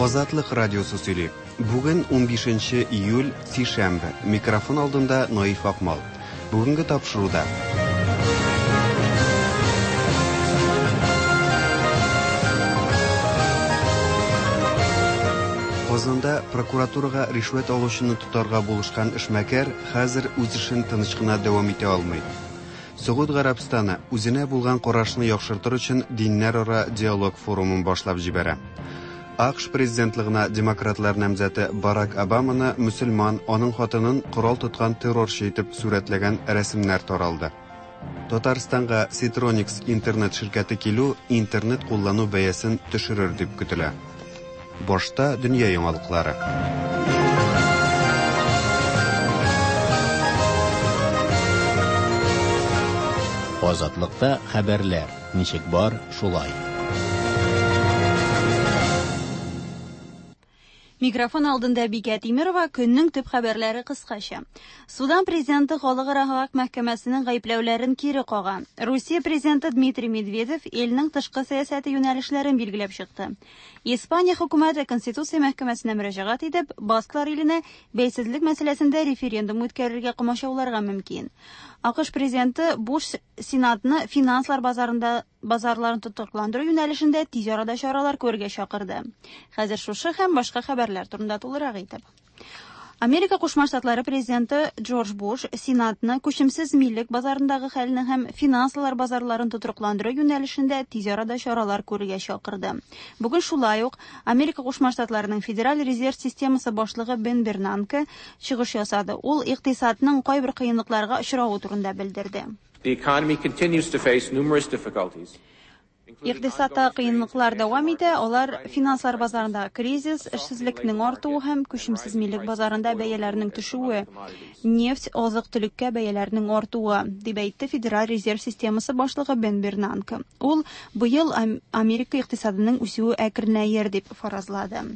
Азатлык радиосы сөйли. Бүген 15 июль, сишәмбе. Микрофон алдында Наиф Акмал. Бүгенге тапшыруда. Казанда прокуратурага ришвәт алучыны тотарга булышкан эшмәкәр хәзер үз эшен тыныч кына дәвам итә алмый. Согуд Гарәбстаны үзенә булган карашны яхшыртыр өчен диннәрара диалог форумын башлап җибәрә. АКШ президентлыгына демократлар намзәте Барак Обаманы мөселман, аның хатынын корал тоткан террорчы итеп сурәтләгән рәсемнәр таралды. Татарстанга Ситроникс интернет ширкәте килү интернет куллану бәясен төшерер дип көтелә. Башта дөнья яңалыклары. Азатлыкта хәбәрләр ничек бар, шулай. Микрофон алдында Бикә Тимирова, көннең төп хәбәрләре кыскача. Судан президенты Халыкара хак мәхкәмәсенең гаепләүләрен кире кага. Русия президенты Дмитрий Медведев илнең тышкы сәясәте юнәлешләрен билгеләп чыкты. Испания хөкүмәте Конституция мәхкәмәсенә мөрәҗәгать итеп, Басклар иленә бәйсезлек мәсьәләсендә референдум үткәрергә комачауларга мөмкин. АКШ президенты Буш Сенатны финанслар базарында базарларын тотрыкландыру юнәлешендә тиз арада чаралар күрергә чакырды. Хәзер шушы һәм башка хәбәрләр турында тулырак итеп. Америка Кушма Штатлары президенты Джордж Буш Сенатны күчемсез милек базарындагы хәлне һәм финанслар базарларын тотрыкландыру юнәлешендә тиз арада чаралар күрергә чакырды. Бүген шулай ук Америка Кушма Штатларының Федераль резерв системасы башлыгы Бен Бернанке чыгыш ясады. Ул икътисадның кайбер кыенлыкларга очравы турында белдерде. The economy continues to face numerous difficulties. Икътисадта кыенлыклар дәвам итә, алар финанслар базарында кризис, эшсезлекнең артуы һәм күчемсез милек базарында бәяләрнең төшүе, нефть, азык-төлеккә бәяләрнең артуы, дип әйтте Федераль резерв системасы башлыгы Бен Бернанке. Ул быел Америка икътисадының үсүе әкренәер дип фаразлады.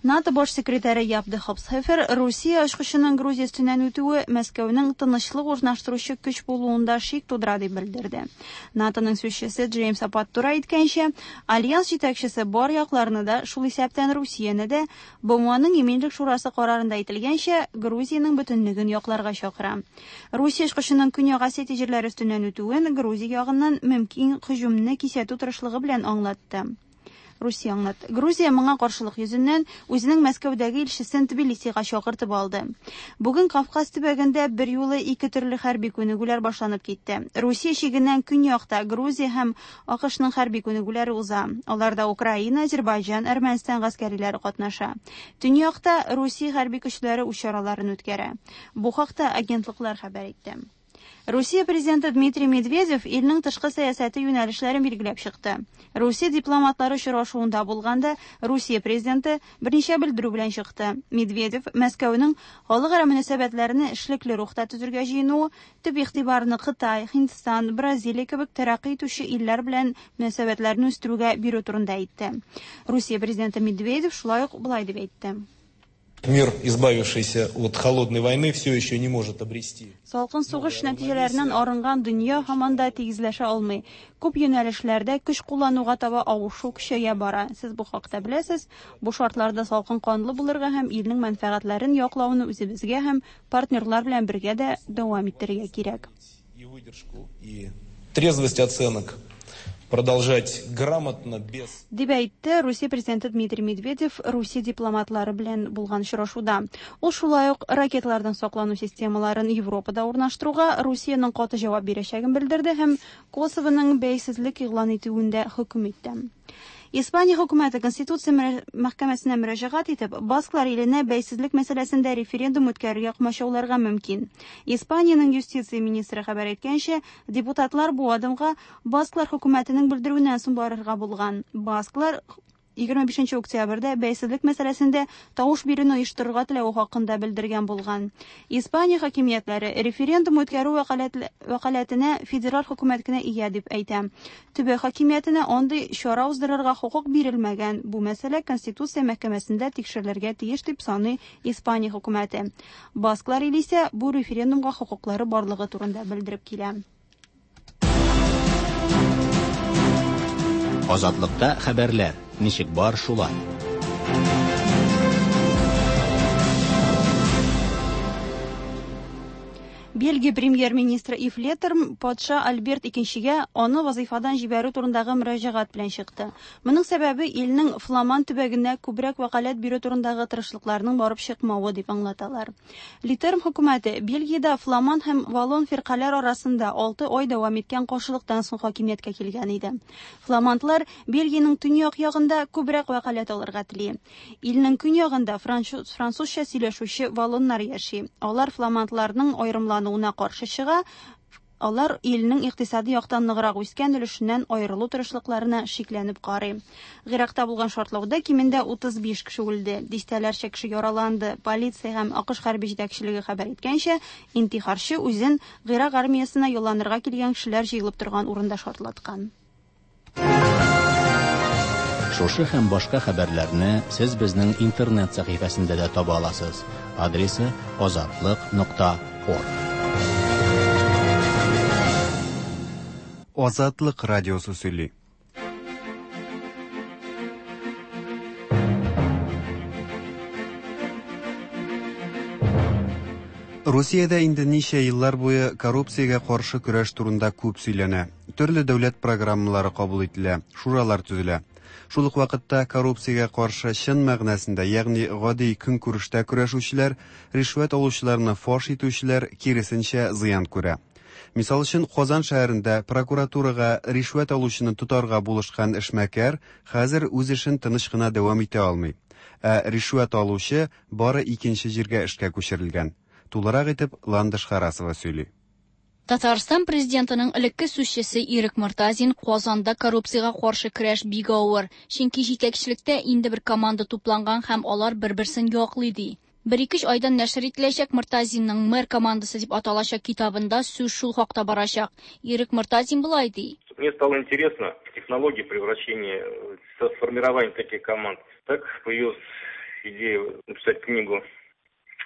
НАТО баш секретаре Яп де Хопсхефер Русия очкычының Грузия өстеннән үтүе Мәскәүнең тынычлык урнаштыручы көч булуында шик тудыра дип белдерде. НАТОның сүзчесе Джеймс Апаттура әйткәнчә, альянс җитәкчесе бар якларны да, шул исәптән Русияне дә, БМОның Иминлек шурасы карарында әйтелгәнчә, Грузиянең бөтенлеген якларга чакыра. Русия очкычының Көньяк Осетия җирләре өстеннән үтүен Грузия ягыннан мөмкин һөҗүмне кисәтү тырышлыгы белән аңлатты. Русия аңлатты. Грузия моңа каршылык йөзеннән үзенең Мәскәүдәге илчесен Тбилисига чакыртып алды. Бүген Кавказ төбәгендә берьюлы ике төрле хәрби күнегүләр башланып китте. Русия чигеннән көньякта Грузия һәм АКШның хәрби күнегүләре уза. Аларда Украина, Азербайҗан, Әрмәнстан гаскәриләре катнаша. Төньякта Русия хәрби көчләре үз чараларын үткәрә. Бу хакта агентлыклар хәбәр итте. Русия президенты Дмитрий Медведев илнең тышкы сәясәте юнәлешләрен билгеләп чыкты. Русия дипломатлары очрашуында булганда Русия президенты берничә белдерү белән чыкты. Медведев Мәскәүнең халыкара мөнәсәбәтләрне эшлекле рухта төзергә җыенуы, төп игътибарны Кытай, Һиндстан, Бразилия кебек тәрәккый итүче илләр белән мөнәсәбәтләрне үстерүгә бирү турында әйтте. Русия президенты Медведев шулай ук болай дип әйтте. Мир, избавившийся от холодной войны, все еще не может обрести. Салкын сугыш нәтиҗәләреннән арынган дөнья һаман да тигезләшә алмый. Күп юнәлешләрдә көч куллануга таба авышу көчәя бара. Сез бу хакта беләсез. Бу шартларда салкын канлы булырга һәм илнең мәнфәгатьләрен яклауны үзебезгә һәм партнерлар белән бергә дә дәвам иттерергә кирәк. И выдержку, и трезвость оценок продолжать грамотно, без... Дип әйтте Русия президенты Дмитрий Медведев Русия дипломатлары белән булган очрашуда. Ул шулай ук ракеталардан саклану системаларын Европада урнаштыруга Русиянең каты җавап бирәчәген белдерде һәм Косовоның бәйсезлек игълан итүен дә хөкем итте. Испания хөкүмәте Конституция мәхкәмәсенә мөрәҗәгать итеп, Басклар иленә бәйсезлек мәсьәләсендә референдум үткәрергә комачауларга мөмкин. Испаниянең юстиция министры хәбәр иткәнчә, депутатлар бу адымга Басклар хөкүмәтенең белдерүеннән соң барырга булган. Басклар 25 октябрьдә бәйсезлек мәсьәләсендә тавыш бирүне оештырырга теләве хакында белдергән булган. Испания хакимиятләре референдум үткәрү вәкаләтенә федераль хөкүмәт кенә ия дип әйтә. Төбәк хакимиятенә андый чара уздырырга хокук бирелмәгән. Бу мәсьәлә Конституция мәхкәмәсендә тикшерелергә тиеш дип саный Испания хөкүмәте. Басклар иле исә бу референдумга хокуклары барлыгы турында белдереп килә. Азатлыкта хәбәрләр ничек бар шулай. Бельгия премьер-министры Ив Летерм патша Альберт икенчегә аны вазыйфадан җибәрү турындагы мөрәҗәгать белән чыкты. Моның сәбәбе илнең Фламан төбәгенә күбрәк вәкаләт бирү турындагы тырышлыкларның барып чыкмавы дип аңлаталар. Летерм хөкүмәте Бельгиядә Фламан һәм Валлон фиркаләр арасында 6 ай дәвам иткән каршылыктан соң хакимияткә килгән иде. Фламандлар Бельгиянең төньяк ягында күбрәк вәкаләт алырга тели. Илнең көньягында французча сөйләшүче валлоннар яши. Алар фламандларның аерымлануына каршы чыга, алар илнең икътисади яктан ныграк үскән өлешеннән аерылу тырышлыкларына шикләнеп карый. Гыйракта булган шартлауда кимендә 35 кеше үлде, дистәләрчә кеше яраланды. Полиция һәм АКШ хәрби җитәкчелеге хәбәр иткәнчә, интихарчы үзен Гыйрак армиясенә ялланырга килгән кешеләр җыелып торган урында шартлаткан. Шушы һәм башка хәбәрләрне сез безнең интернет сәхифәсендә дә таба аласыз. Адресы azatliq.org. Азатлык радиосы сөйли. Русиядә инде ничә еллар буе коррупциягә каршы көрәш турында күп сөйләнә. Төрле дәүләт программалары кабул ителә, шуралар төзелә. Шул ук вакытта коррупциягә каршы чын мәгънәсендә, ягъни гади көнкүрештә көрәшүчеләр, ришвәт алучыларны фаш итүчеләр, киресенчә, зыян күрә. Мисал өчен, Казан шәһәрендә прокуратурага ришвәт алучыны тотарга булышкан эшмәкәр хәзер үз эшен тыныч кына дәвам итә алмый. Ә ришвәт алучы бары икенче җиргә эшкә күчерелгән. Тулырак итеп Ландыш Харасова сөйли. Татарстан президентының элекке сүзчесе Ирек Мортазин Казанда коррупциягә каршы көрәш бик авыр, чөнки җитәкчелектә инде бер команда тупланган һәм алар бер-берсен яклый ди. Бер-ике айдан нәшер ителәчәк Мортазинның Мэр командасы дип аталачак китабында сүз шул хакта барачак. Ирек Мортазин болай ди. Мне стало интересно технология превращения, формирования таких команд. Так появилась идея написать книгу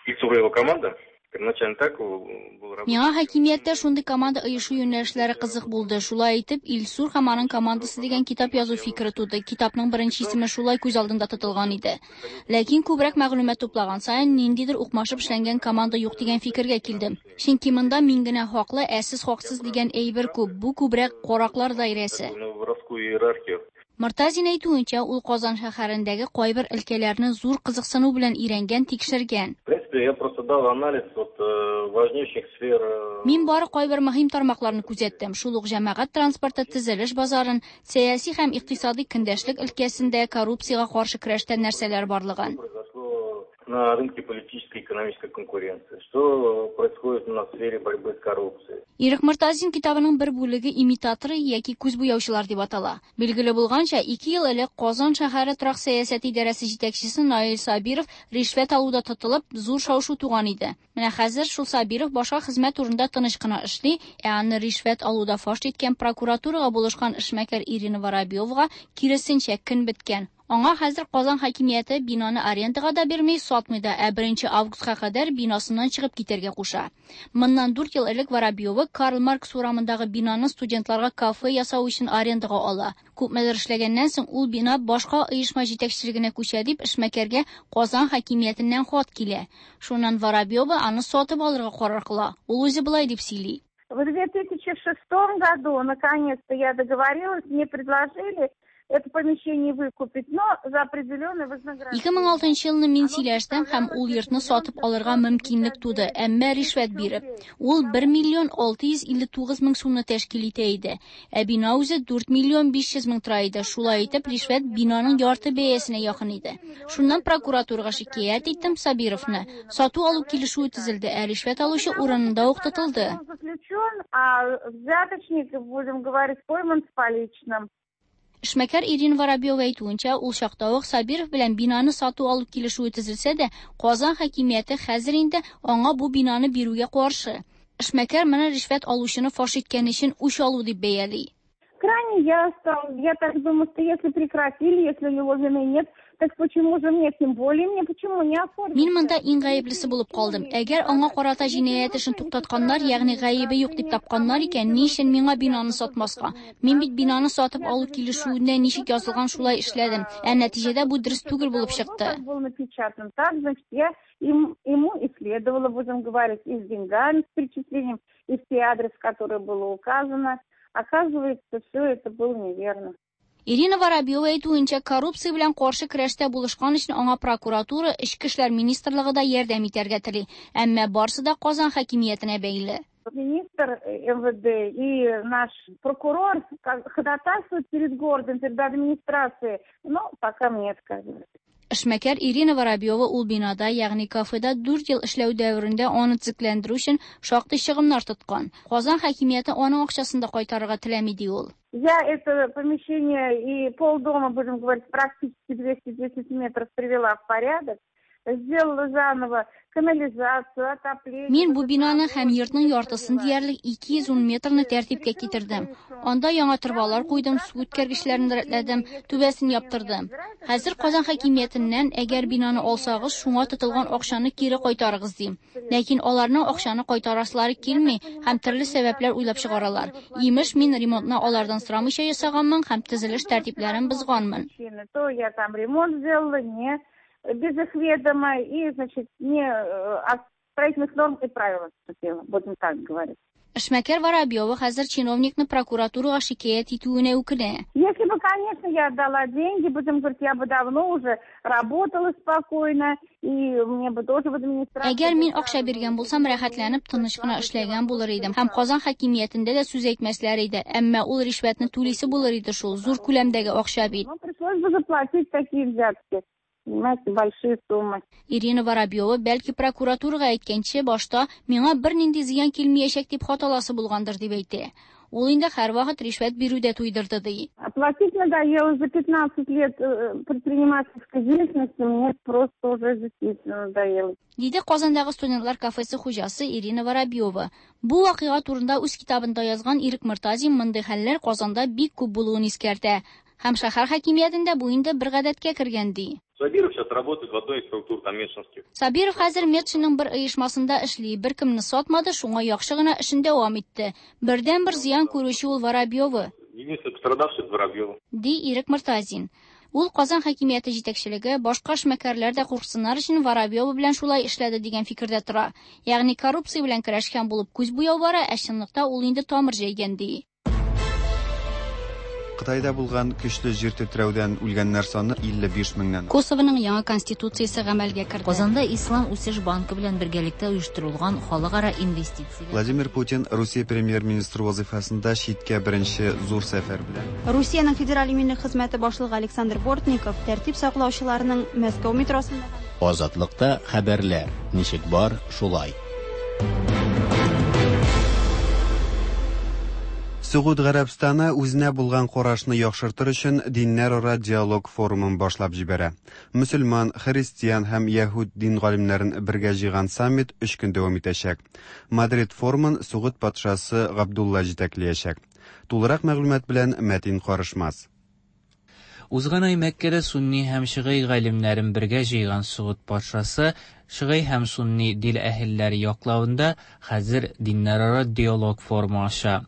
«Ильсур и его команда». Первоначально так был работа. Миңа хакимияттә шундый команда оешу юнәлешләре кызык булды. Шулай итеп, Илсур һәм аның командасы дигән китап язу фикере туды. Китапның беренче исеме шулай күз алдында тотылган иде. Ләкин күбрәк мәгълүмат туплаган саен ниндидер укмашып эшләнгән команда юк дигән фикергә килдем. Чөнки монда мин генә хаклы, ә сез хаксыз дигән әйбер күп. Бу күбрәк караклар даирәсе. Воровскую иерархию. Мортазин әйтүенчә, ул Казан шәһәрендәге кайбер өлкәләрне зур кызыксыну белән өйрәнгән, тикшергән. В принципе, я просто дал анализ вот важнейших сфер. Мин бары кайбер мөһим тармакларны күзәттем. Шул ук җәмәгать транспорты, төзелеш базарын, сәяси һәм икътисади көндәшлек өлкәсендә коррупциягә каршы көрәштә нәрсәләр барлыгын. На рынке политической и экономической конкуренции. Что происходит на сфере борьбы с коррупцией? Ирек Мортазин китабының бер бүлеге имитаторы яки күз буяучылар дип атала. Билгеле булганча, 2 ел элек Казан шәһәре торак сәясәте идарәсе җитәкчесе Наил Сабиров ришвәт алуда тотылып, зур шау-шу туган иде. Менә хәзер шул Сабиров башка хезмәт урында тыныч кына эшли, ә аны ришвәт алуда фаш иткән прокуратурага булышкан эшмәкәр Ирина Воробьевага киресенчә көн беткән. Аңа хәзер Казан хакимияте бинаны арендага да бирми, сатмый да, ә 1 августка кадәр бинасыннан чыгып китәргә куша. Моннан 4 ел элек Воробьева Карл Маркс урамындагы бинаны студентларга кафе ясау өчен арендага ала. Күпмедер эшләгәннән соң ул бина башка оешма җитәкчелегенә күчә дип эшмәкәргә Казан хакимиятеннән хат килә. Шуннан Воробьева аны сатып алырга карар кыла. Ул үзе болай дип сөйли. В 2006 году наконец-то я договорилась, мне предложили это помещение выкупить, но за определенное вознаграждение. 2006 елны мин сөйләштем һәм ул йортны сатып алырга мөмкинлек туды, әмма ришвәт биреп. Ул 1 миллион 659 мең сумны тәшкил итә иде. Ә бина үзе 4 миллион 500 мең тора иде. Шулай итеп, ришвәт бинаның ярты бәясенә якын иде. Шуннан прокуратурага шикаять иттем Сабировны. Сату алу килешүе төзелде, ә ришвәт алучы урынында ук тотылды. Заключен, а взяточник, будем говорить, пойман с поличным. Эшмәкәр Ирина Воробьева әйтүенчә, ул чакта ук Сабиров белән бинаны сату алу килешүе төзелсә дә, Казан хакимияте хәзер инде аңа бу бинаны бирүгә каршы. Эшмәкәр моны ришвәт алучыны фаш иткән өчен үч алу дип бәяли. Крайне я стал, я так думаю, что если прекратили, если у него вины нет, Так почему же мне, тем более мне, почему не оформить? Мин монда иң гаеплесе булып калдым. Әгәр аңа карата җинаять эшен туктатканнар, ягъни гаебе юк дип тапканнар икән, ни өчен миңа бинаны сатмаска? Мин бит бинаны сатып алу килешүендә ничек язылган, шулай эшләдем. Ә нәтиҗәдә бу дөрес түгел булып чыкты. Как было напечатано, так, значит, я ему и следовало, будем говорить, и с деньгами, с перечислением, и все адрес, который было указано. Оказывается, все это было неверно. Ирина Воробьева әйтүенчә, коррупция белән каршы көрәштә булышкан өчен аңа прокуратура, Эчке эшләр министрлыгы да ярдәм итәргә тели. Әмма барсы да Казан хакимиятенә бәйле. Министр МВД и наш прокурор ходатайствуют перед городом, перед администрацией, но пока мне отказывают. Эшмәкәр Ирина Воробьева ул бинада, ягъни кафеда 4 ел эшләү дәверендә аны төзекләндерү өчен шактый чыгымнар тоткан. Казан хакимияте аның акчасын да кайтарырга теләми, ди ул. Я это помещение и полдома, будем говорить, практически 210 метров привела в порядок. Сделала заново канализацию, отопление. Мин бу бинаны һәм йортның яртысын диярлек 210 метрны тәртипкә китердем. Анда яңа торбалар куйдым, су үткәргечләрен рәтләдем, түбәсен яптырдым. Хәзер Казан хакимиятеннән, әгәр бинаны алсагыз, шуңа тотылган акчаны кире кайтарыгыз дим. Ләкин аларның акчаны кайтарасылары килми һәм төрле сәбәпләр уйлап чыгаралар. Имеш, мин ремонтны алардан сорамыйча ясаганмын һәм төзелеш тәртипләрен бозганмын. То я там ремонт сделала, не без их ведома и, значит, не от строительных норм и правил отступила, будем так говорить. Эшмәкәр Воробьева хәзер чиновникны прокуратурага шикаять итүенә үкенә. Если бы, конечно, я отдала деньги, будем говорить, я бы давно уже работала спокойно, и мне бы тоже в администрации... Әгәр мин акча биргән булсам, рәхәтләнеп, тыныч кына эшләгән булыр идем. Һәм Казан хакимиятендә дә сүз әйтмәсләр иде. Әмма ул ришвәтне түлисе булыр иде шул, зур күләмдәге акча бит. Ну, пришлось бы заплатить такие взятки. Понимаете, большие суммы. Ирина Воробьева бәлки прокуратурага әйткәнче башта миңа бернинди зыян килмәячәк дип хаталасы булгандыр дип әйтә. Ул инде һәрвакыт ришвәт бирүдә туйдырды ди. Платить надоело за 15 лет предпринимательской деятельности, мне просто уже действительно надоело. Диде Казандагы студентлар кафесы хуҗасы Ирина Воробьева. Бу вакыйга турында үз китабында язган Ирек Мортазин мондый хәлләр Казанда бик күп булуын искәртә. Һәм шәһәр хакимиятендә бу инде бер гадәткә кергән ди. Сабиров сейчас работает в одной из структур там Метшинских. Сабиров хәзер Метшинның бер оешмасында эшли, беркемне сатмады, шуңа яхшы гына эшен дәвам итте. Бердән-бер зыян күрүче ул Воробьева. Единственный пострадавший это Воробьева. Ди Ирек Мортазин. Ул Казан хакимияте җитәкчелеге башка эшмәкәрләр дә курксыннар өчен Воробьева белән шулай эшләде дигән фикердә тора. Ягъни коррупция белән көрәшкән булып күз буяу бара, ә чынлыкта ул инде тамыр җәйгән ди. Кытайда булган көчле җир тетрәүдән үлгәннәр саны 55 меңнән. Косовоның яңа конституциясе гамәлгә керде. Казанда Ислам үсеш банкы белән бергәлектә оештырылган халыкара инвестиция. Владимир Путин Русия премьер-министры вазифасында читкә беренче зур сәфәр белән. Русиянең федераль иминлек хезмәте башлыгы Александр Бортников тәртип саклаучыларның Мәскәү метросында Азатлыкта хәбәрләр ничек бар, шулай. Согуд Гарәбстаны үзенә булган карашны яхшыртыр өчен диннәрара диалог форумын башлап җибәрә. Мөселман, христиан һәм яһүд дин галимнәрен бергә җыйган саммит 3 көн дәвам итәчәк. Мадрид форумын Согуд патшасы Габдулла җитәкләячәк. Тулырак мәгълүмат белән Мәтин Карышмас. Узган ай Мәккәдә сунни һәм шигый галимнәрен бергә җыйган Согуд патшасы шигый һәм сунни дин әһелләре яклавында хәзер диннәрара диалог форумы аша.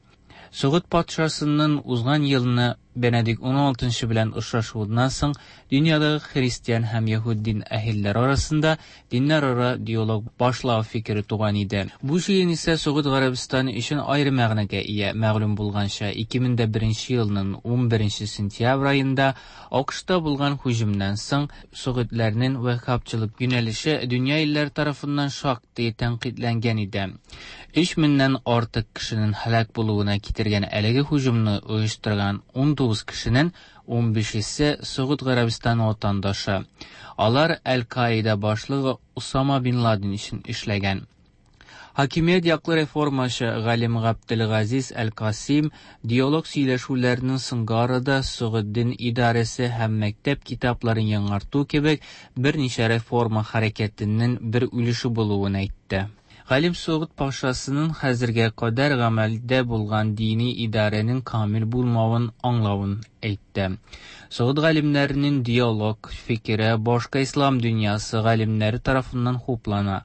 Согуд патшасының узган елны Бенедикт XVI белән очрашуыннан соң дөньядагы христиан һәм яһүд дин әһелләре арасында диннәрара диалог башлау фикере туган иде. Бу җыен исә Согуд Гарәбстаны өчен аерым мәгънәгә ия. Мәгълүм булганча, 2001 елның 11 сентябрь аенда АКШта булган һөҗүмнән соң Согудларның ваххабчылык юнәлеше дөнья илләре тарафыннан шактый тәнкыйтьләнгән иде. 3000-нән артык кешенең һәлак булуына китергән әлеге һөҗүмне оештырган 19 кешенең 15-се Согуд Гарәбстаны ватандашы. Алар Әл-Каида башлыгы Усама бин Ладен өчен эшләгән. Хакимият яклы реформачы Галим Габделгазиз Әл-Касим диалог сөйләшүләренең соңгы арада Согуд дин идарәсе һәм мәктәп китапларын яңарту кебек берничә реформа хәрәкәтенең бер өлеше булуын әйтте. Галим Согуд патшасының хәзергә кадәр гамәлдә булган дини идарәнең камил булмавын аңлавын әйтте. Согуд галимнәренең диалог фикере башка ислам дөньясы галимнәре тарафыннан хуплана.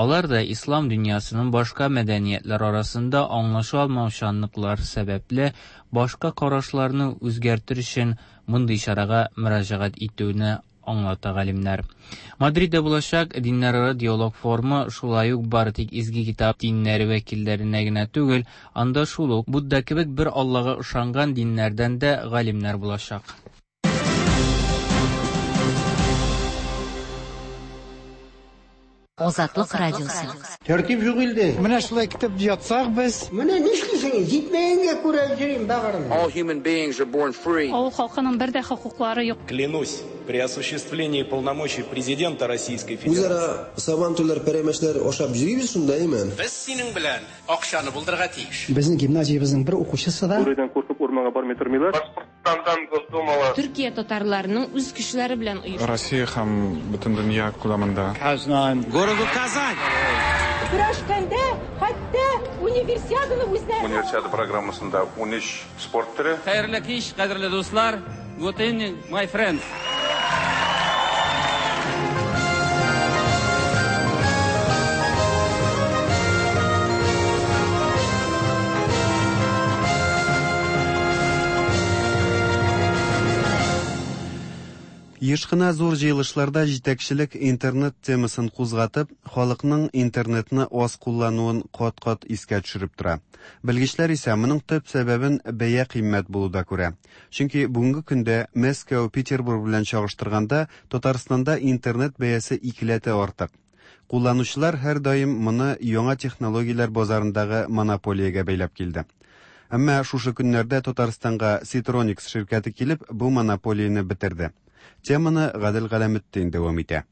Алар да ислам дөньясының башка мәдәниятләр арасында аңлаша алмаучанлыклар сәбәпле, башка карашларны үзгәртер өчен мондый чарага мөрәҗәгать итүне аңлата галимнәр. Мадридда булачак диннәрара диалог форумы шулай ук бары тик изге китап диннәре вәкилләренә генә түгел, анда шул ук Будда кебек бер Аллага ышанган диннәрдән дә галимнәр булачак. Азатлык радиосы. Тәртип юк илдә. Менә шулай көтеп ятсак без. Менә нишлисең, җитмәгәнгә күрә йөрим бәгырем. All human beings are born free. Авыл халкының бер дә хокуклары юк. Клянусь при осуществлении полномочий президента Российской Федерации. Үзара сабантуйлар, пәрәмәчләр ашап йөрибез шунда, әйме? Без синең белән акчаны булдырырга тиеш. Безнең гимназиябезнең бер укучысы да. Бүредән куркып урманга бармый тормыйлар. Башкортстандан Госдумала. Төркия татарларының үз көчләре белән оешкан. Россия һәм бөтен дөнья күләмендә. Казань. Городу Казань. Көрәшкәндә хәтта универсиаданы үзләре. Универсиада программасында 13 спорт төре. Хәерле кич, кадерле дуслар. Good evening, my friends. Еш кына зур җыелышларда җитәкчелек интернет темасын кузгатып, халыкның интернетны аз куллануын кат-кат искә төшереп тора. Белгечләр исә моның төп сәбәбен бәя кыйммәт булуда күрә. Чөнки бүгенге көндә Мәскәү, Петербург белән чагыштырганда Татарстанда интернет бәясе икеләтә артык. Кулланучылар һәрдаим моны яңа технологияләр базарындагы монополиягә бәйләп килде. Әмма шушы көннәрдә Татарстанга Ситроникс ширкәте килеп, бу монополияне бетерде. Теманы Гадел Галәметдин дәвам итә.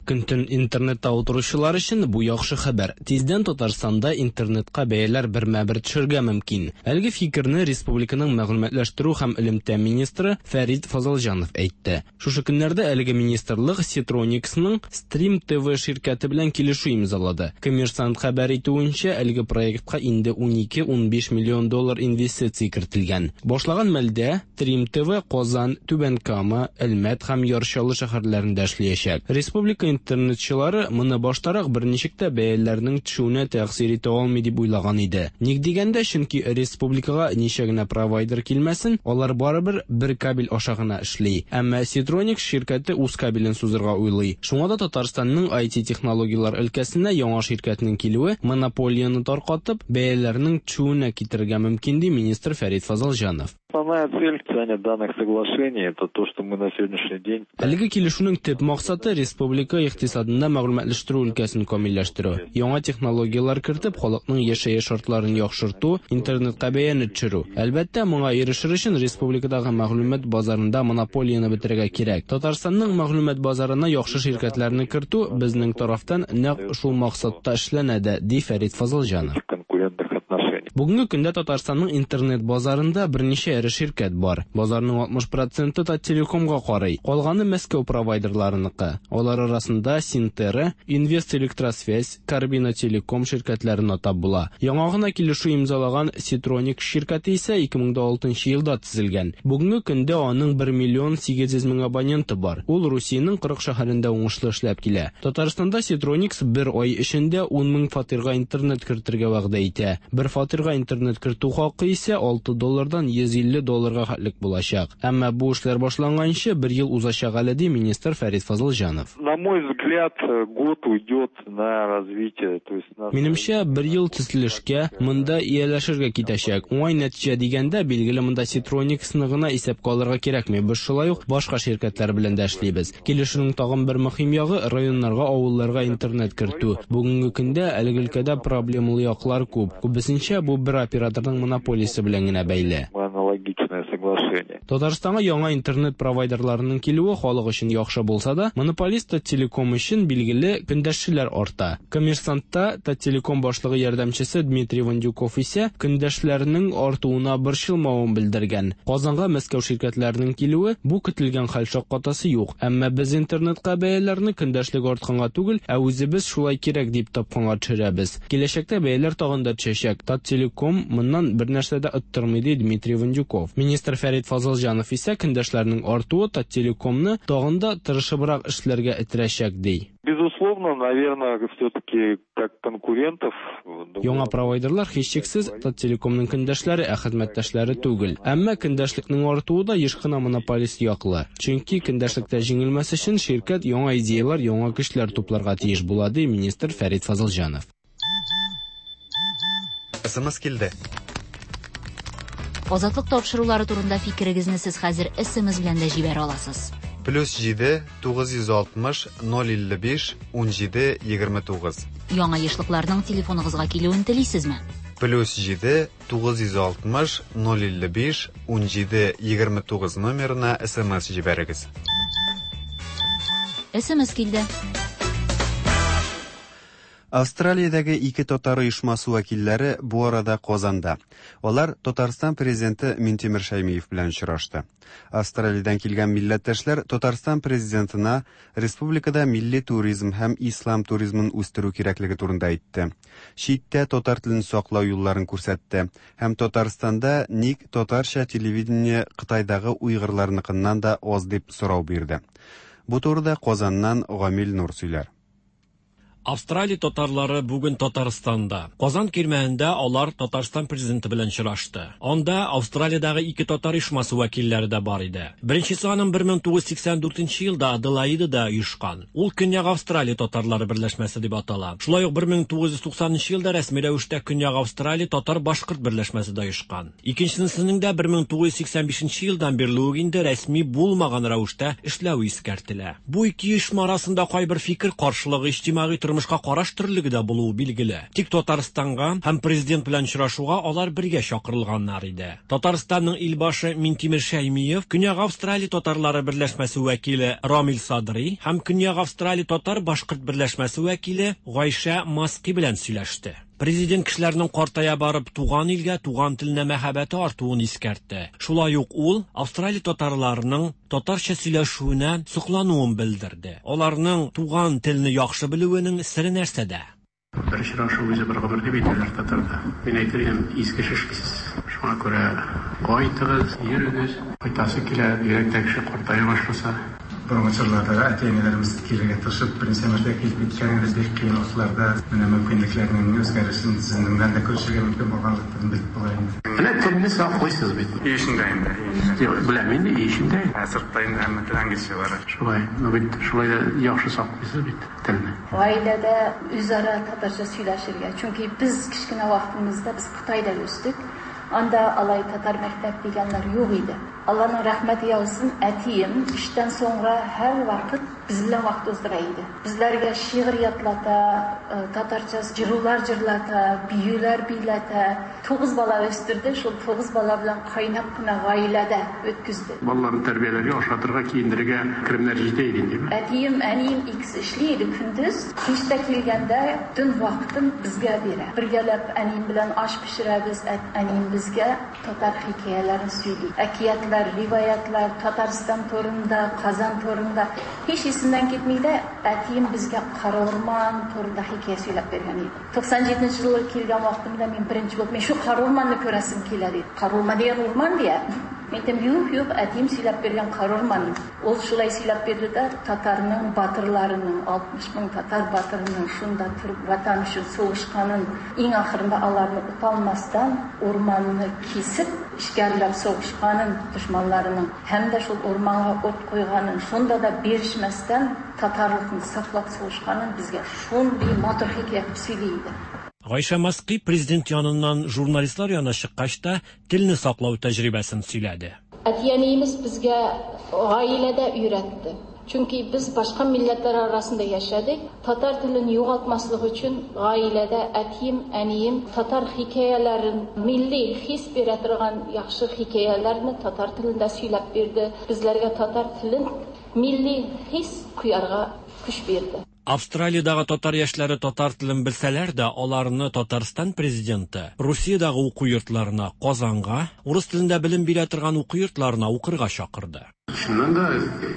Көн-төн интернетта утыручылар өчен бу яхшы хәбәр. Тиздән Татарстанда интернетка бәяләр бермә-бер төшергә мөмкин. Әлеге фикерне республиканың мәгълүматлаштыру һәм элемтә министры Фәрит Фазылҗанов әйтте. Шушы көннәрдә әлеге министрлык Ситрониксның Stream TV ширкәте белән килешү имзалады. Коммерсант хәбәр итүенчә, әлеге проектка инде 12-15 миллион доллар инвестиция кертелгән. Башлаган мәлдә Stream TV Казан, Түбән Кама, Әлмәт һәм Яр Чаллы шәһәрләрендә эшләячәк. Республика интернетчылары моны баштарак берничек тә бәяләрнең төшүенә тәэсир итә алмый дип уйлаган иде. Ник дигәндә, чөнки республикага ничә генә провайдер килмәсен, алар барыбер бер кабель аша гына эшли. Әмма Ситроникс ширкәте үз кабелен сузырга уйлый. Шуңа да Татарстанның IT технологияләр өлкәсенә яңа ширкәтнең килүе монополияне таркатып, бәяләрнең төшүенә китерергә мөмкин, ди министр Фәрит Фазылҗанов. Основная цель подписания данных соглашений – это то, что мы на сегодняшний день Әлеге килешүнең төп максаты республика икътисадында мәгълүматлаштыру өлкәсен камилләштерү, яңа технологияләр кертеп, халыкның яшәеш шартларын яхшырту, интернетка бәяне төшерү. Әлбәттә, моңа ирешер өчен республикадагы мәгълүмат базарында монополияне бетерергә кирәк. Татарстанның мәгълүмат базарына яхшы ширкәтләрне кертү безнең тарафтан нәкъ шул максатта эшләнә дә, ди Фәрит Фазылҗанов. конкурентных отношений. Бүгенге көндә Татарстанның интернет базарында берничә эре ширкәт бар. Базарның 60 проценты Таттелекомга карый, калганы Мәскәү провайдерларыныкы. Алар арасында Синтера, Инвест Электросвязь, Карбина Телеком ширкәтләрен атап була. Яңа гына килешү имзалаган Ситроник ширкәте исә 2006 елда төзелгән. Бүгенге көндә аның 1 миллион 800 мең абоненты бар. Ул Русиянең 40 шәһәрендә уңышлы эшләп килә. Татарстанда Ситроникс бер ай эчендә 10 мең фатирга интернет кертергә вәгъдә итә. Бер фатирга интернет кертү хакы исә 6 доллардан 150 долларга хәтлек булачак. Әмма бу эшләр башланганчы бер ел узачак әле, ди министр Фәрит Фазылҗанов. На мой взгляд, год уйдет на развитие, то есть на... Минемчә, бер ел төзелешкә, монда ияләшергә китәчәк. Уңай нәтиҗә дигәндә, билгеле, монда Ситрониксны гына исәпкә алырга кирәкми. Без шулай ук башка ширкәтләр белән дә эшлибез. Килешүнең тагын бер мөһим ягы районнарга, авылларга интернет кертү. Бүгенге көндә әлеге өлкәдә проблемалы яклар күп. Күбесенчә бу бер операторның монополиясе белән генә бәйле. Аналогичное соглашение. районе. Татарстанга яңа интернет провайдерларының килүе халык өчен яхшы булса да, монополист Таттелеком өчен, билгеле, көндәшчеләр арта. Коммерсантта Таттелеком башлыгы ярдәмчесе Дмитрий Вандюков исә көндәшләрнең артуына борчылмавын белдергән. Казанга Мәскәү ширкәтләренең килүе бу көтелгән хәл шаккатасы юк. Әмма без интернетка бәяләрне көндәшлек артканга түгел, ә үзебез шулай кирәк дип тапканга төшерәбез. Киләчәктә бәяләр тагын да төшәчәк. Таттелеком моннан бернәрсә дә оттырмый, ди Дмитрий Вандюков. Министр Фәрит Фазылҗанов исә көндәшләрнең артуы Таттелекомны тагын да тырышыбрак эшләргә этерәчәк, ди. Безусловно, наверное, все-таки как конкурентов. Яңа провайдерлар һичшиксез Таттелекомның көндәшләре, ә хезмәттәшләре түгел. Әмма көндәшлекнең артуы да еш кына монополист яклы. Чөнки көндәшлектә җиңелмәс өчен ширкәт яңа идеяләр, яңа көчләр тупларга тиеш була, ди министр Фәрит Фазылҗанов. СМС килде. Азатлык тапшырулары турында фикерегезне сез хәзер SMS белән дә җибәрә аласыз. Плюс 7 960 055 17 29. Яңа ешлыкларның телефоныгызга килүен телисезме? Плюс 7 960 055 17 29 номерына СМС җибәрегез. СМС килде. Австралиядәге ике татар оешмасы вәкилләре бу арада Казанда. Алар Татарстан президенты Минтимер Шәймиев белән очрашты. Австралиядән килгән милләттәшләр Татарстан президентына республикада милли туризм һәм ислам туризмын үстерү кирәклеге турында әйтте. Читтә татар телен саклау юлларын күрсәтте һәм Татарстанда ник татарча телевидение Кытайдагы уйгырларныкыннан да аз дип сорау бирде. Бу турыда Казаннан Гамил Нур сөйләр. Австралия татарлары бүген Татарстанда. Казан кирмәнендә алар Татарстан президенты белән очрашты. Анда Австралиядәге ике татар оешмасы вәкилләре дә бар иде. Беренчесе аның 1984 елда Аделаидада оешкан. Ул Көньяк Австралия татарлары берләшмәсе дип атала. Шулай ук 1990 елда рәсми рәвештә Көньяк Австралия татар-башкорт берләшмәсе дә оешкан. Икенчесенең дә 1985 елдан бирле үк инде рәсми булмаган рәвештә эшләве искәртелә. Бу ике оешма арасында кайбер фикер каршылыгы иҗтимагый тормышка караш төрлелеге дә булуы билгеле. Тик Татарстанга һәм президент белән очрашуга алар бергә чакырылганнар иде. Татарстанның илбашы Минтимер Шәймиев, Көньяк Австралия татарлары берләшмәсе вәкиле Рамил Садри һәм Көньяк Австралия татар-башкорт берләшмәсе вәкиле Гайшә Маски белән сөйләште. Президент кешеләрнең картая барып туган илгә, туган теленә мәхәббәте артуын искәртте. Шулай ук ул Австралия татарларының татарча сөйләшүенә соклануын белдерде. Аларның туган телне яхшы белүенең сере нәрсәдә? Бер очрашу үзе бер гомер дип әйтәләр татарда. Мин әйтер идем, изге эш эшлисез. Шуңа күрә кайтыгыз, йөрегез. Кайтасы килә, бигрәк тә кеше картая башласа. Борынгы чорларда да әти-әниләребез килергә тырышып, берничә мәртәбә килеп киткән иде. Бик кыен вакытларда менә мөмкинлекләрнең үзгәрешен сезнең белән дә күрешергә мөмкин булганлыктан белеп була инде. Менә телне саклыйсыз бит. Өй эчендә инде. Юк, беләм инде, өй эчендә. Ә сыртта инде һәммә тел английча бара. Шулай, ну бит шулай да яхшы саклыйсыз бит телне. Гаиләдә үзара татарча сөйләшергә. Чөнки без кечкенә вакытымызда без Кытайда үстек. Анда алай татар мәктәп дигәннәр юк иде. Алланың рәхмәте яусын, әтием эштән соңра һәрвакыт без белән вакыт уздыра иде. Безләргә шигырь ятлата, татарча җырулар җырлата, биюләр бийләтә. Тугыз бала үстерде, шул тугыз бала белән кайнап кына гаиләдә үткүзде. Балаларны тәрбияләргә, ашатырга, киендерергә керемнәр җитә иде инде. Әтием, әнием икесе эшли иде көндез. Кич тә килгәндә төн вакытын безгә бирә. Бергәләп әнием белән аш пешерәбез, әнием безгә татар хикәяләрен сөйли. Әкиятләр, риваятлар, Татарстан турында, Казан турында. Һич исемнән китми дә, әтием безгә Кара урман турында хикәя сөйләп биргән иде. 97 елы килгән вакытымда мин беренче булып, мин шу Кара урманны күрәсем килә диде. Кара урман дигән урман дия. Мин әйтәм, юк, юк, әтием сөйләп биргән Кара урман. Ул шулай сөйләп бирде дә, татарның батырларының, 60 мең татар батырының шунда торып ватан өчен сугышканын, иң ахырында аларны оталмастан урманны кисеп, эшкәрләп сугышканын дошманларының һәм дә шул урманга ут куйганын, шунда да бирешмәстән татарлыкны саклап сугышканын безгә шундый матур хикәя итеп сөйли иде. Гайшә Маски президент яныннан журналистлар янына чыккач та телне саклау тәҗрибәсен сөйләде. Әти-әниебез безгә гаиләдә өйрәтте. Чөнки без башка милләтләр арасында яшәдек. Татар телен югалтмаслык өчен гаиләдә әтием, әнием татар хикәяләрен, милли хис бирә торган яхшы хикәяләрне татар телендә сөйләп бирде. Безләргә татар телен милли хис куярга көч бирде. Австралиядагы татар яшьләре татар телен белсәләр дә, аларны Татарстан президенты Русиядагы уку йортларына, Казанга, урыс телендә белем бирә торган уку йортларына укырга чакырды. Чыннан да,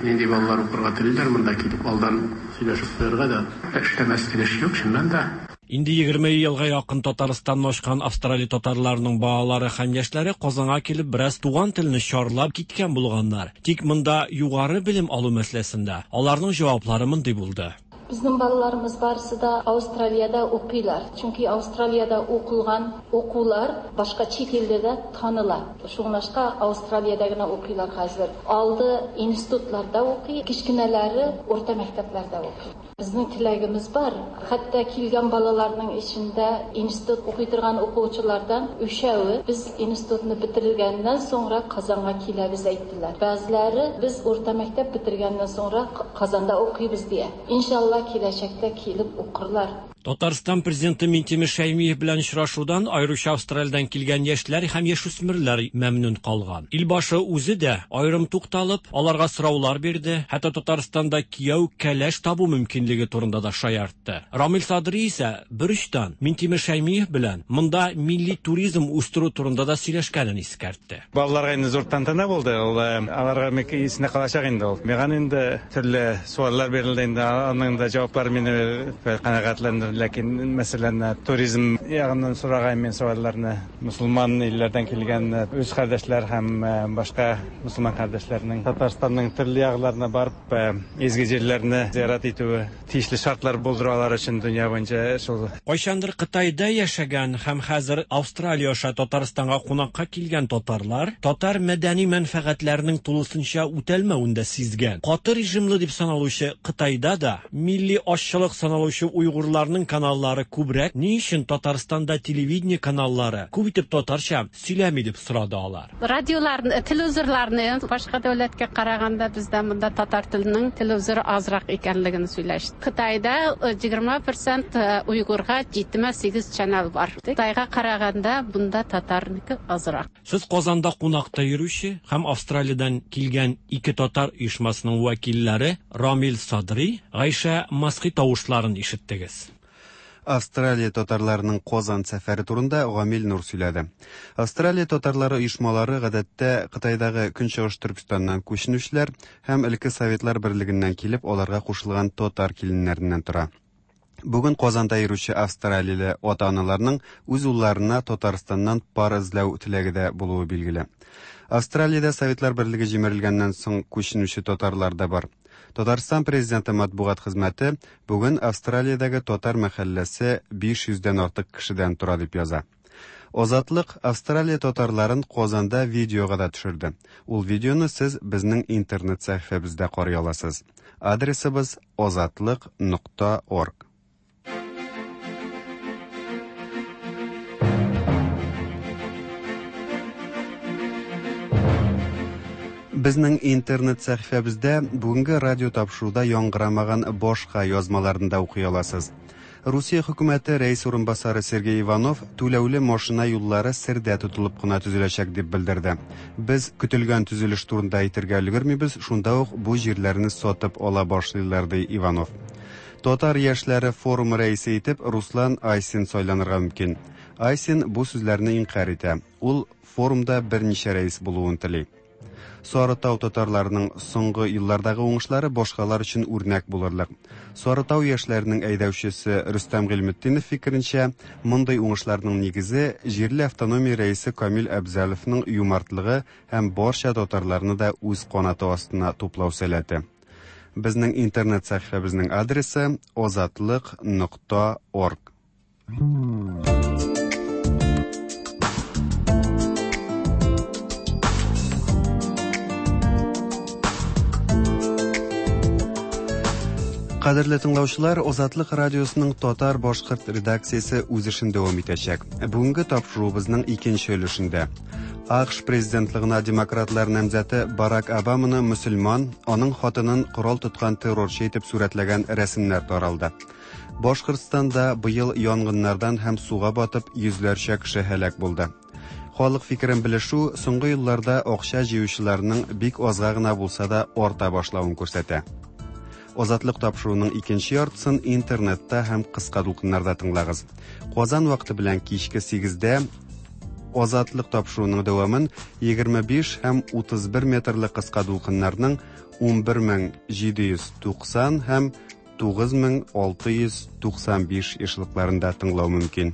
нинди балалар укырга телиләр, монда килеп алдан сөйләшеп куярга да эшләмәслек эш юк, чыннан да. Инде 20 елга якын Татарстанны ачкан Австралия татарларының балалары һәм яшьләре Казанга килеп бераз туган телне чарлап киткән булганнар. Тик монда югары белем алу мәсьәләсендә аларның җаваплары мондый булды. Безнең балаларымыз барысы да Австралиядә укыйлар. Чөнки Австралиядә укылган укулар башка чит илдә дә таныла. Шуңлашка Австралиядә генә укыйлар хәзер. Алды институтларда укый, кечкенәләре урта мәктәпләрдә укый. Безнең теләгебез бар. Хәтта килгән балаларның эчендә институт укый торган укучылардан өчәве без институтны бетергәннән соңра Казанга киләбез әйттеләр. Бәгъзеләре без урта мәктәп бетергәннән соңра Казанда укыйбыз дия. Иншалла киләчәктә килеп укырлар. Татарстан президенты Минтимер Шәймиев белән очрашудан аеруча Австралиядән килгән яшьләр һәм яшүсмерләр мәмнүн калган. Илбашы үзе дә аерым тукталып, аларга сораулар бирде, хәтта Татарстанда кияү кәләш табу мөмкинлеге турында да шаяртты. Рамил Садри исә берочтан Минтимер Шәймиев белән монда милли туризм үстерү турында да сөйләшкәнен искәртте. Балаларга инде зур тантана булды, ул аларга бик исендә калачак инде ул. Миңа инде төрле сораулар бирелде инде, аның да җаваплары мине канәгатьләндерде, ләкин мәсәлән, туризм ягыннан сораган мин сорауларны мусульман илләрдән килгән үз кардәшләр һәм башка мусульман кардәшләрнең Татарстанның төрле якларына барып изге җирләрне зиярат итүе тиешле шартлар булдыру алар өчен дөнья буенча шул. Кайчандыр Кытайда яшәгән һәм хәзер Австралия аша Татарстанга кунакка килгән татарлар татар мәдәни мәнфәгатьләренең тулысынча үтәлмәвен дә сизгән. Каты режимлы дип саналучы Кытайда да милли азчылык саналучы уйгурларның каналлары күбрәк, ни өчен Татарстанда телевидение каналлары күп итеп татарча сөйләми дип сорады алар. Радиоларны, телевизорларны башка дәүләткә караганда бездә монда татар теленең телевизоры азрак икәнлеген сөйләште. Кытайда 20% уйгурга 78 чанал бар. Кытайга караганда бунда татарныкы азрак. Сез Казанда кунакта йөрүче һәм Австралиядән килгән ике татар оешмасының вәкилләре Рамил Садри, Гайшә Масхи тавышларын ишеттегез. Австралия татарларының Казан сәфәре турында Гамил Нур сөйләде. Австралия татарлары оешмалары гадәттә Кытайдагы Көнчыгыш Төркестаннан күченүчеләр һәм элекке Советлар берлегеннән килеп аларга кушылган татар киленнәреннән тора. Бүген Казанда йөрүче австралияле ата-аналарның үз улларына Татарстаннан пар эзләү теләге дә булуы билгеле. Австралиядә Советлар берлеге җимерелгәннән соң күченүче татарлар да бар. Татарстан президенты матбугат хезмәте бүген Австралиядәге татар мәхәлләсе 500 дән артык кешедән тора дип яза. Азатлык Австралия татарларын Казанда видеога да төшерде. Ул видеоны сез безнең интернет сәхифәбездә карый аласыз. Адресыбыз azatliq.org. Безнең интернет сәхифәбездә бүгенге радио тапшыруда яңгырамаган башка язмаларны да укый аласыз. Русия хөкүмәте рәис урынбасары Сергей Иванов түләүле машина юллары сердә тотылып кына төзеләчәк дип белдерде. Без көтелгән төзелеш турында әйтергә өлгермибез, шунда ук бу җирләрне сатып ала башлыйлар, ди Иванов. Татар яшьләре форумы рәисе итеп Руслан Айсин сайланырга мөмкин. Айсин бу сүзләрне инкарь итә. Ул форумда берничә рәис булуын тели. Сарытау татарларының соңгы еллардагы уңышлары башкалар өчен үрнәк булырлык. Сарытау яшьләренең әйдәүчесе Рөстәм Гыйльметдинов фикеренчә, мондый уңышларның нигезе җирле автономия рәисе Камил Әбзәловның юмартлыгы һәм барча татарларны да үз канаты астына туплау сәләте. Безнең интернет сәхифәбезнең адресы azatliq.org. Кадерле тыңлаучылар, Азатлык радиосының татар-башкорт редакциясе үз эшен дәвам итәчәк. Бүгенге тапшыруыбызның икенче өлешендә АКШ президентлыгына демократлар намзәте Барак Обаманы мөселман, аның хатынын корал тоткан террорчы итеп сурәтләгән рәсемнәр таралды. Башкортстанда быел янгыннардан һәм суга батып йөзләрчә кеше һәлак булды. Халык фикерен белешү соңгы елларда акча җыючыларның бик азга гына булса да арта башлавын күрсәтә. Азатлык тапшыруының икенче яртысын интернетта һәм кыска дулкыннарда тыңлагыз. Казан вакыты белән кичке 8-дә Азатлык тапшыруының дәвамын 25 һәм 31 метрлы кыска дулкыннарның 11790 һәм 9695 ешлыкларында тыңлау мөмкин.